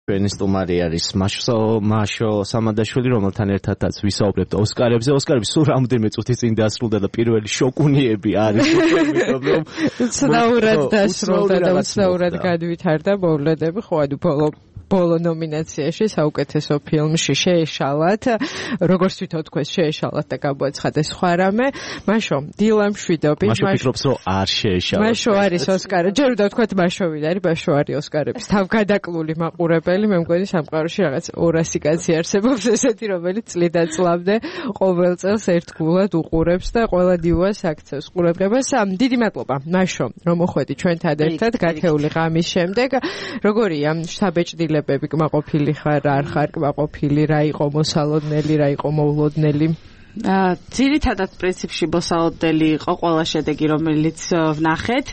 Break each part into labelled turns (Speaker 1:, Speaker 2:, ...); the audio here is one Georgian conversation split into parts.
Speaker 1: ჩვენი სტუმარი არის მაშო სამადაშვილი, რომელთან ერთადაც ვისაუბრებთ ოსკარებზე. ოსკარები სულ რამდენიმე წუთის წინ დასრულდა და პირველი შოკუნიები არის.
Speaker 2: უცნაურად დასრულდა და უცნაურად გადვითარდა მოვლენები, ხო ანუ ბოლო ნომინაციაში საუკეთესო ფილმში შეეშალათ, როგორც თვითონ თქვენ შეეშალათ და გამოაცხადეს სხვა რამე. მაშო დილა მშვიდობით.
Speaker 1: მაშო ფიქრობს რომ არ შეეშალათ.
Speaker 2: მაშო არის ოსკარი. ჯერ უნდა ვთქვათ მაშო ვინ არის, მაშო არის ოსკარების თავგადაკლული მაყურებელი. მე მგონი სამყაროში რაღაც 200 კაცი არსებობს ესეთი, რომელიც წლიდან წლამდე ყოველ წელს ერთგულად უყურებს და ყველა დივას აქცევს ყურადღებას. დიდი მადლობა მაშო რომ მოხვედი ჩვენთან ერთად გათეული ღამის შემდეგ. როგორია საბეჭდილებები კმაყოფილი ხარ, არ ხარ კმაყოფილი, რა იყო მოსალოდნელი, რა იყო მოულოდნელი?
Speaker 3: ძირითადად პრინციპში მოსალოდნელი იყო ყველა შედეგი, რომელიც ვნახეთ.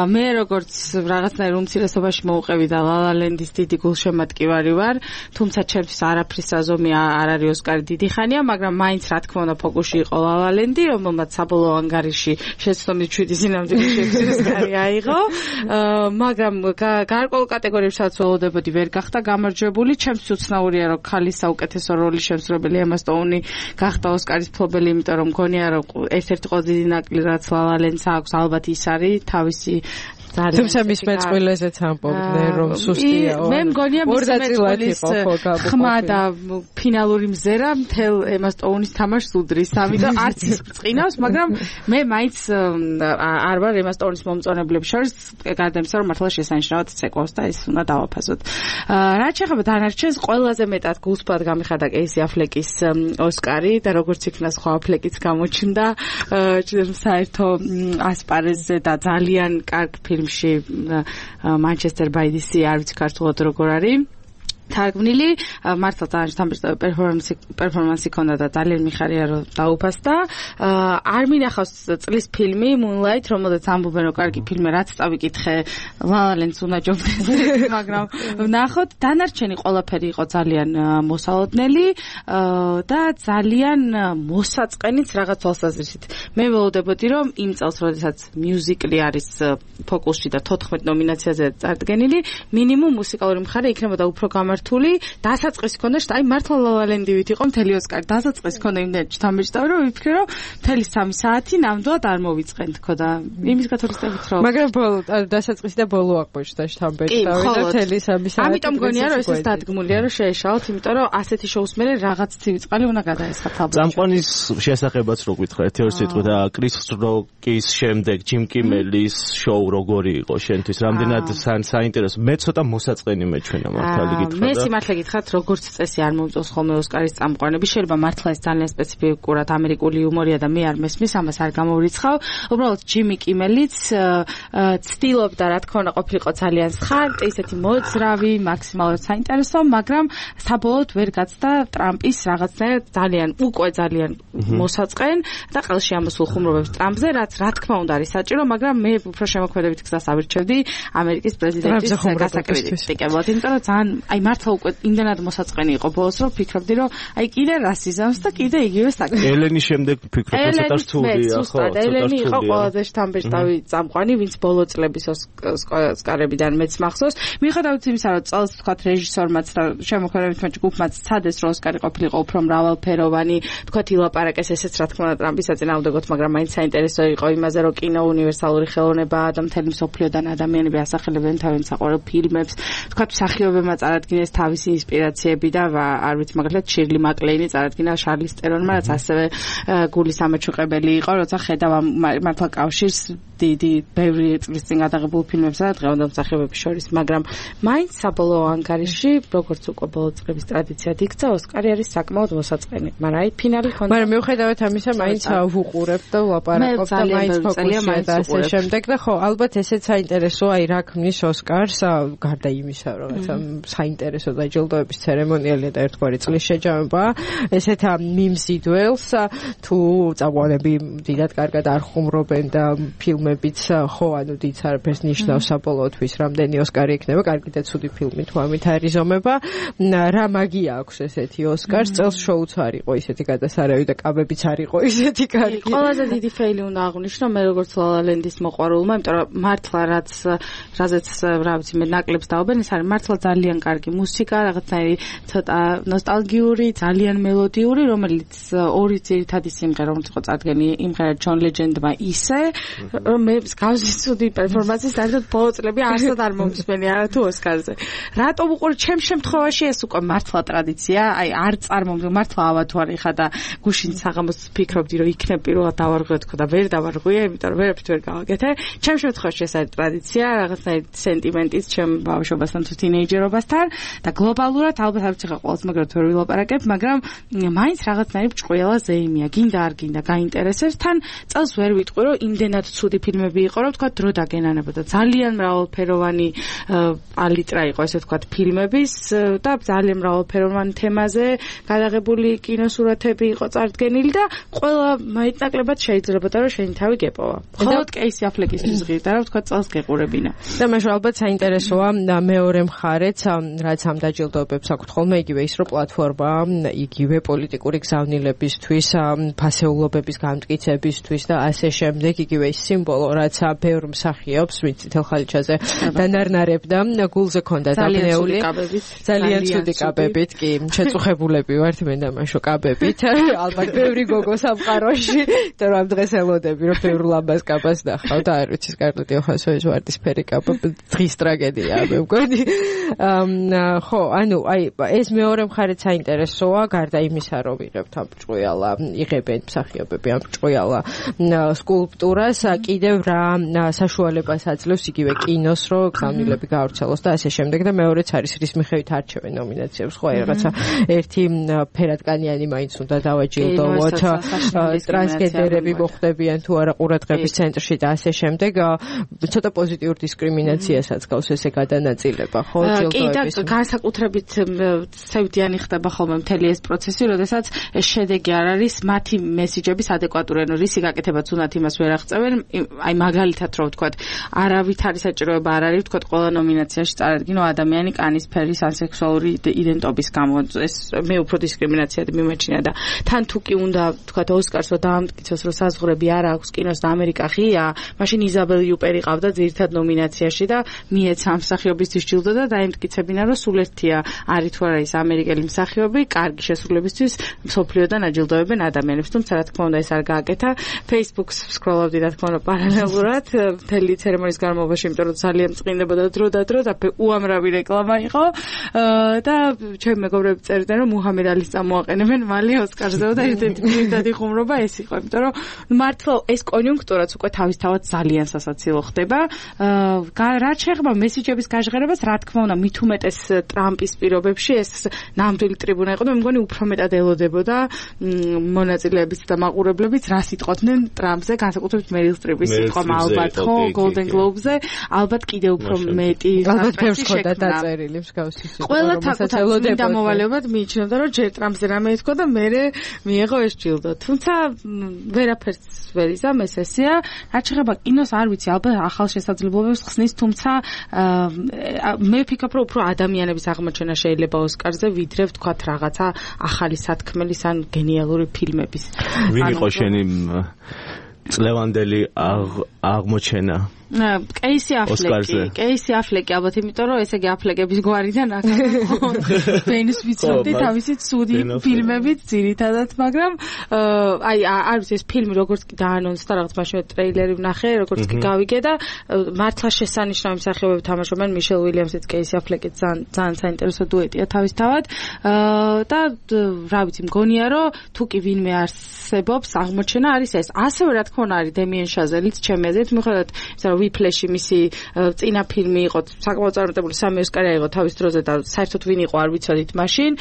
Speaker 3: მე როგორც რაღაცნაირ უმცირესობაში მოუყევი და ლალალენდის დიდი გულშემატკივარი ვარ, თუმცა ჩემთვის არაფრის აზომი არ არის ოსკარი დიდი ხანია, მაგრამ მაინც რა თქმა უნდა ფოკუსში იყო ლალალენდი, რომელმაც საბოლოო ანგარიში შეცდომით 7 სინამდვილე ოსკარი აიღო, მაგრამ გარკვეულ კატეგორიებსაც ველოდებოდი ვერ გახდა გამარჯვებული. ჩემთვის უცნაურია რომ ქალის საუკეთესო როლის შემსრულებელი ემა სტოუნი გახდა ოსკარის მფლობელი, იმიტომ რომ მგონია რომ ერთ-ერთი ყველაზე დიდი ნაკლი რაც ლალალენდს აქვს ალბათ ის არის თავისი
Speaker 2: თუმცა მის მეწყვილეზეც ამბობდნენ რომ სუსტიაო.
Speaker 3: მე მგონია მის მეწყვილის ხმა და ფინალური მზერა მთელ ემა სტოუნის თამაშს უდრის, ამიტომ არც ის წინავს, მაგრამ მე მაინც არ ვარ ემა სტოუნის მომწონებლებს შორის, გარდა იმისა რომ მართლა შესანიშნავად ცეკვავს და ის უნდა დავაფასოთ. რაც შეეხება დანარჩენს, ყველაზე მეტად გულსფრად გამიხარდა კეისი აფლეკის ოსკარი და როგორც იქნა სხვა აფლეკიც გამოჩნდა საერთო ასპარეზზე და ძალიან კარგ ფილმში Manchester by the Sea, არ ვიცი ქართულად როგორ არის თარგმნილი, მართლა ძალიან პერფორმანსი ქონდა და ძალიან მიხარია რომ დაუფასდა. არ მინახავს წლის ფილმი Moonlight, რომელზეც ამბობენ რომ კარგი ფილმი, რაც წავიკითხე ლალალენდს უნდა ჯობდეს, მაგრამ ვნახოთ. დანარჩენი ყველაფერი იყო ძალიან მოსალოდნელი და ძალიან მოსაწყენიც რაღაც თვალსაზრისით. მე ველოდებოდი რომ იმ წელს, როდესაც მიუზიკლი არის ფოკუსში და 14 ნომინაციაზე წარდგენილი, მინიმუმ მუსიკალური მხარე იქნებოდა უფრო გამართული. დასაწყისი ქონდა, აი მართლა ლალალენდივით იყო მთელი ოსკარი. დასაწყისი ქონდა იმდენ ჩთამბეჭდავი რომ ვიფიქრე რომ მთელი 3 საათი ნამდვილად არ მოვიწყენთ ხო და იმის გათვალისწინებით რომ
Speaker 2: მაგრამ ბოლო დასაწყისი და ბოლო აღმოჩნდა ჩთამბეჭდავი და მთელი 3 საათი.
Speaker 3: ამიტომ მგონია რომ ეს დადგმულია რომ შეეშალოთ, იმიტომ რომ ასეთი შოუს მერე რაღაც ცივიწყალი უნდა გადაესხათ ალბათ.
Speaker 1: წამყვანის შესახებაც რო გითხრა ერთი სიტყვით და კრის როკის შემდეგ ჯიმ კიმელის შოუ როგორი იყო შენთვის? რამდენად საინტერესო? მე ცოტა მოსაწყენი მეჩვენა მართალი გითხრა.
Speaker 3: მე სიმართლე გითხრათ, როგორც წესი არ მომწონს ხოლმე ოსკარის წამყვანები. შეიძლება მართლა ეს ძალიან სპეციფიკურად ამერიკული იუმორია და მე არ მესმის, ამას არ გამოვრიცხავ. უბრალოდ ჯიმი კიმელიც ცდილობდა რა თქმა უნდა ყოფილიყო ძალიან სხარტი, ისეთი მოძრავი, მაქსიმალურად საინტერესო, მაგრამ საბოლოოდ ვერ გაცდა ტრამპის რაღაცნაირად ძალიან მოსაწყენ და ყელში ამოსულ ხუმრობებს ტრამპზე, რაც რა თქმა უნდა არის საჭირო, მაგრამ მე უფრო შემოქმედებით გზას ავირჩევდი ამერიკის პრეზიდენტის გასაკრიტიკებლად, იმიტომ რომ ძალიან აი მართლა უკვე იმდენად მოსაწყენი იყო ბოლოს, რომ ფიქრობდი, რომ აი კიდე რასიზმს და კიდე იგივე საკითხი.
Speaker 1: ელენის შემდეგ ფიქრობ, რომ ცოტა რთულია, ხო?
Speaker 3: ელენი იყო ყველაზე შთამბეჭდავი წამყვანი, ვინც ბოლო წლების ოსკარებიდან მეც მახსოვს. მიუხედავად იმისა, რომ წელს თქვა რეჟისორმაც და შემოქმედებითმა ჯგუფმაც ცადეს, რომ ოსკარი ყოფილიყო უფრო მრავალფეროვანი, თქვა ილაპარაკეს ესეც რა თქმა უნდა ტრამპის საწინააღმდეგოდ, მაგრამ მაინც საინტერესო იყო იმაზე, რომ კინო უნივერსალური ხელოვნებაა და მთელი მსოფლიოდან ადამიანები ასახელებენ თავიანთ საყვარელ ფილმებს. თქვა მსახიობებმა წარადგინეს თავისი ინსპირაციები და არ ვიცი მაგალითად შირლი მაკლეინი წარადგინა შარლის ტერონმა, რაც ასევე გულის ამაჩუყებელი იყო, როცა ხედავ მართლა კავშირს დიდი ბევრი წლის წინ გადაღებულ ფილმებსა და დღევანდელ მსახიობების შორის, მაგრამ მაინც საბოლოო ანგარიში, როგორც უკვე ბოლო წლების ტრადიციად იქცა, ოსკარი არის საკმაოდ მოსაწყენი, მაგრამ აი ფინალი ხონდა.
Speaker 2: მაგრამ მიუხედავად ამისა, მაინც ვუყურებ და ვლაპარაკობ და მაინც ფოკუსია და ასე შემდეგ და ხო, ალბათ ესეც საინტერესოა, აი რა ქმნის ოსკარს, გარდა იმისა, რომ საინტერესო დაჯილდოების ცერემონიალი და ერთგვარი წლის შეჯამება, ესეთ მიმზიდველს თუ წამყვანები დიდად კარგად არ ხუმრობენ და ფილმები ფილმებიც ხო ანუ დიდ არაფერს ნიშნავს საბოლოოთვის რამდენი ოსკარი იქნება, კარგი და ცუდი ფილმი თუ ამით არიზომება. რა მაგია აქვს ესეთი ოსკარს? წელს შოუც არ იყო ისეთი გადასარევი და კაბებიც არ იყო ისეთი კარგი.
Speaker 3: ყველაზე დიდი ფეილი უნდა აღვნიშნო მე როგორც La La Land-ის მოყვარულმა, იმიტომ რომ მართლა რაზეც რა ვიცი მე ნაკლებს დაობენ, ეს არის მართლა ძალიან კარგი მუსიკა, რაღაცნაირი ცოტა ნოსტალგიური, ძალიან მელოდიური, რომელიც ორი ძირითადი სიმღერა რომელიც იყო წარდგენი იმღერა John Legend-მა ისე, რომ მე მსგავსი ცუდი პერფორმანსის საერთოდ ბოლო წლები არსად არ მომსმენი არა თუ ოსკარზე. რატომ უყურე ჩემ შემთხვევაში ეს უკვე მართლა ტრადიცია, აი არ წარმომდგ მართლა ავათვარი ხა და გუშინ საღამოს ფიქრობდი რომ იქნებ პირველად დავარღვიო თქო და ვერ დავარღვიე, იმიტომ რომ ვერაფრით ვერ გავაკეთე. ჩემ შემთხვევაში ეს არის ტრადიცია, რაღაცნაირი სენტიმენტის ჩემ ბავშვობასთან თუ თინეიჯერობასთან და გლობალურად ალბათ არ ვიცი ხა ყოველს მაგრად ვერ ვილაპარაკებ, მაგრამ მაინც რაღაცნაირი ჭყუიალა ზეიმია, გინდა არ გინდა გაინტერესებს, თან წელს ვერ ვიტყვი რომ იმდენად ცუდი ფილმები იყო, რომ თქვა დრო დაგენანებოდა. ძალიან მრავალფეროვანი პალიტრა იყო ესე თქვა ფილმების და ძალიან მრავალფეროვანი თემაზე გადაღებული კინოსურათები იყო წარდგენილი და ყველა მაინტერესებად შეიძლებოდა რომ შენი თავი გეპოვა. ხოლოდ კეისი აფლეკისთვის ღირდა რომ თქვა წელს გეყურებინა.
Speaker 2: და მე ალბათ საინტერესოა მეორე მხარეც, რაც ამ დაჯილდოებებს აქვთ ხოლმე იგივე ის რომ პლატფორმა იგივე პოლიტიკური გზავნილებისთვის, ფასეულობების გამტკიცებისთვის და ასე შემდეგ, იგივე ის სიმბოლო, რაც ბევრ მსახიობს, ვინც წითელ ხალიჩაზე დანარნარებდა, გულზე ქონდა დაბნეული. ძალიან ცუდი კაბებით, კი, შეწუხებულები ვართ მე და მაშო კაბებით. ალბათ ბევრი გოგო სამყაროში, და რომ ამ დღეს ელოდები, რომ ბევრ ლამბას კაბას ნახავ და არ ვიცი, სკარლეტ იოჰანსონის ვარდისფერი კაბა დღის ტრაგედია, მე მგონი. ხო, ანუ აი ეს მეორე მხარეც საინტერესოა, გარდა იმისა, რომ ვიღებთ ამ ჭყუიალა, იღებენ მსახიობები ამ ჭყუიალა სკულპტურას, კიდევ რა საშუალებას აძლევს იგივე კინოს, რომ გზავნილები გაავრცელოს და ასე შემდეგ და მეორეც არის რის მიხედვით არჩევენ ნომინაციებს, ხო, რაღაცა ერთი ფერადკანიანი მაინც უნდა დავაჯილდოვოთ, ტრანსგენდერები მოხვდებიან თუ არა ყურადღების ცენტრში და ასე შემდეგ, ცოტა პოზიტიურ დისკრიმინაციასაც გავს ესე გადანაწილება, ხო, ჯილდოების.
Speaker 3: კი და განსაკუთრებით ცევდიანი ხდება ხოლმე მთელი ეს პროცესი, როდესაც ეს შედეგი არ არის მათი მესიჯების ადეკვატური, ანუ რისი გაკეთებაც უნდათ იმას ვერ აღწევენ, აი მაგალითად რომ ვთქვათ, არავით არის საჭიროება არ არის ვთქვათ ყველა ნომინაციაში წარადგინო ადამიანი კანის ფერის ან სექსუალური იდენტობის გამო, ეს მე უფრო დისკრიმინაციად მიმეჩნია და თან თუ კი უნდა ვთქვათ ოსკარსო დაამტკიცოს რომ საზღვრები არ აქვს კინოს და ამერიკა ღია, მაშინ იზაბელ იუპერი ყავდა ძირითად ნომინაციაში და მიეცა ამ მსახიობისთვის ჯილდო და დაემტკიცებინა რომ სულ ერთია არის თუ არა ის ამერიკელი მსახიობი, კარგი შესრულებისთვის მსოფლიოდან აჯილდოებენ ადამიანებს, თუმცა რა თქმა უნდა ეს არ გააკეთა. Facebook-ს სკროლობდი რა თქმა უნდა პარალელურად მთელი ცერემონიის განმავლობაში, იმიტომ რომ ძალიან წყინდებოდა დრო და უამრავი რეკლამა იყო და ჩემი მეგობრები წერდნენ რომ მუჰამედ ალის წამოაყენებენ მალე ოსკარზე და ერთ-ერთი პირდადი ხუმრობა ეს იყო, იმიტომ რომ მართლა ეს კონიუნქტურაც უკვე თავისთავად ძალიან სასაცილო ხდება. რაც შეეხება მესიჯების გაჟღერებას, რა თქმა უნდა, მით უმეტეს ტრამპის პირობებში ეს ნამდვილი ტრიბუნა იყო და მე მგონი უფრო მეტად ელოდებოდა მონაწილეებიც და მაყურებლებიც რა სიტყვოდნენ ტრამპზე, განსაკუთრებით მერილ სტრიპის სიტყვა ალბათ ხო Golden Globe-ზე, ალბათ კიდევ უფრო მეტი
Speaker 2: ალბათ ბევრს ხოდა დაწერილი მსგავსი სიტყვა.
Speaker 3: ყველა თაკუთარ დამოვალებად მიიჩნევდა რომ ჯერ ტრამპზე რამე ეთქვა და მერე მიიღო ეს ჯილდო. თუმცა ვერაფერს ვერ იზამ ეს ესეა. რაც შეეხება კინოს არ ვიცი, ალბათ ახალ შესაძლებლობებს ხსნის, თუმცა მე ვფიქრობ რომ უფრო ადამიანების აღმოჩენა შეიძლება ოსკარზე ვიდრე ვთქვათ რაღაცა ახალი სათქმელის ან გენიალური ფილმების.
Speaker 1: ვინ იყო შენი წლევანდელი აღმოჩენა?
Speaker 3: კეისი აფლეკი ალბათ, იმიტომ რომ ესე იგი აფლეკების გვარიდან ბენს ვიცნობდი თავისი ცუდი ფილმებით ძირითადად, მაგრამ აი არ ვიცი ეს ფილმი როგორც კი დაანონსდა, რაღაც მაშინ ტრეილერი ვნახე, როგორც კი გავიგე და მართლა შესანიშნავი მსახიობები თამაშობენ, მიშელ უილიამსიც, კეისი აფლეკიც ძალიან საინტერესო დუეტია თავისთავად და რა ვიცი, მგონია რომ თუ კი ვინმე არსებობს აღმოჩენა არის ეს. ასევე რა თქმა უნდა არის დემიენ შაზელიც ჩემი აზრით, მიუხედავად იმისა რომ ვიფლეში მისი წინა ფილმი იყო საკმაოდ წარმატებული 3 ოსკარი აიღო თავის დროზე და საერთოდ ვინ იყო არ ვიცოდით მაშინ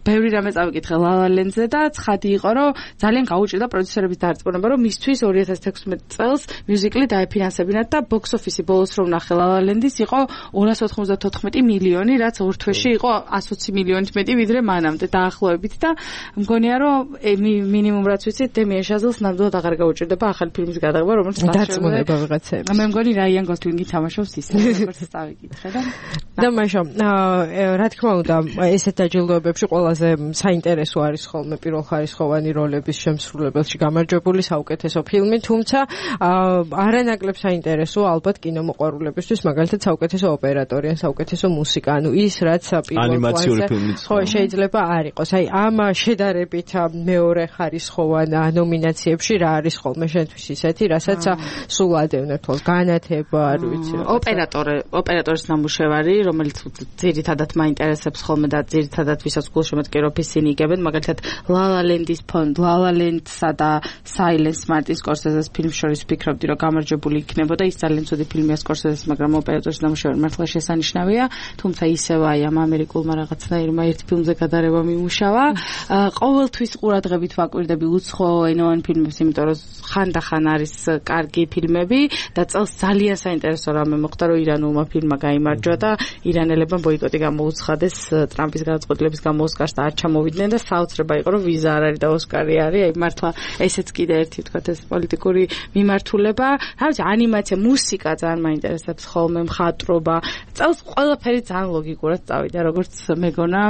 Speaker 3: ბევრი რამე წავიკითხე La La Land-ზე და ცხადი იყო რომ ძალიან გაუჭირდა პროდიუსერების დარწმუნება რომ მისთვის 2016 წელს მიუზიკლი დაეფინანსებინათ და box office-ი ბოლოს რომ ნახე La La Land-ის იყო 294 მილიონი რაც ორ თვეში იყო 120 მილიონით მეტი ვიდრე მანამდე დაახლოებით და მგონია რომ მინიმუმ რაც ვიცით დემიენ შაზელს ნამდვილად აღარ გაუჭირდება ახალი ფილმის გადაღება რომელიც
Speaker 2: დარწმუნება ვიღაცებს
Speaker 3: მე მგონი რაიან გოსლინგი თამაშობს ისე როგორც წავიკითხე
Speaker 2: და მაშინ რა თქმა უნდა ესეთ დაჯილდოებებში ყველაზე საინტერესო არის ხოლმე პირველხარისხოვანი როლების შემსრულებელში გამარჯვებული საუკეთესო ფილმი თუმცა არანაკლებ საინტერესოა ალბათ კინომოყვარულებისთვის მაგალითად საუკეთესო ოპერატორი ან საუკეთესო მუსიკა ანუ ის რაც
Speaker 1: ანიმაციური ფილმიც
Speaker 2: ხო შეიძლება არ იყოს აი ამ შედარებით მეორე ხარისხოვან ნომინაციებში რა არის ხოლმე შენთვის ისეთი რასაც სულ ადევნებთ განათება არ ვიცი
Speaker 3: ოპერატორის ნამუშევარი რომელიც ძირითადად მაინტერესებს ხოლმე და ძირითადად ვისაც გულშემატკივრობ ისინი იგებენ მაგალითად La La Land-ის ფონდ La La Land-სა და Silence Martin Scorsese-ს ფილმს შორის ვფიქრობდი რომ გამარჯვებული იქნებოდა ის ძალიან ცუდი ფილმია Scorsese-ს მაგრამ ოპერატორის ნამუშევარი მართლა შესანიშნავია თუმცა ისევ აი ამ ამერიკულმა რაღაცნაირმა ერთ ფილმზე გადარება მიმუშავა ყოველთვის ყურადღებით ვაკვირდები უცხო ენოვან ფილმებს იმიტომ რომ ხანდახან არის კარგი ფილმები და წელს ძალიან საინტერესო რამე მოხდა რომ ირანულმა ფილმმა გაიმარჯვა და ირანელებმა ბოიკოტი გამოუცხადეს ტრამპის გადაწყვეტილების გამო ოსკარს და არ ჩამოვიდნენ და საოცრება იყო რომ ვიზა არ არის და ოსკარი არის აი მართლა ესეც კიდე ერთი ვთქვათ ეს პოლიტიკური მიმართულება რა ვიცი ანიმაცია მუსიკა ძალიან მაინტერესებს ხოლმე მხატვრობა წელს ყველაფერი ძალიან ლოგიკურად წავიდა როგორც მეგონა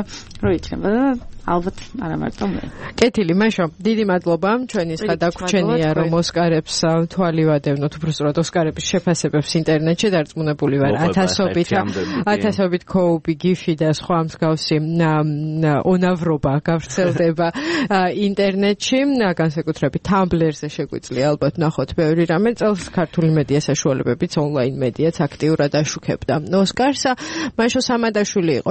Speaker 3: რომ იქნება და ალბათ არა მარტო მე.
Speaker 2: კეთილი, მაშო, დიდი მადლობა. ჩვენი სხვა დაგვრჩენია რომ ოსკარებს თვალი ვადევნოთ, უბრალოდ ოსკარების შეფასებებს ინტერნეტში დარწმუნებული ვარ. ათასობით კოუპი, გიფი და სხვა მსგავსი უნავრობა გავრცელდება ინტერნეტში, განსაკუთრებით Tumblr-ზე შეგვიძლია ალბათ ნახოთ ბევრი რამე. წელს ქართული მედია საშუალებებიც ონლაინ მედიაც აქტიურად აშუქებდა ოსკარს. მაშო სამადაშვილი იყო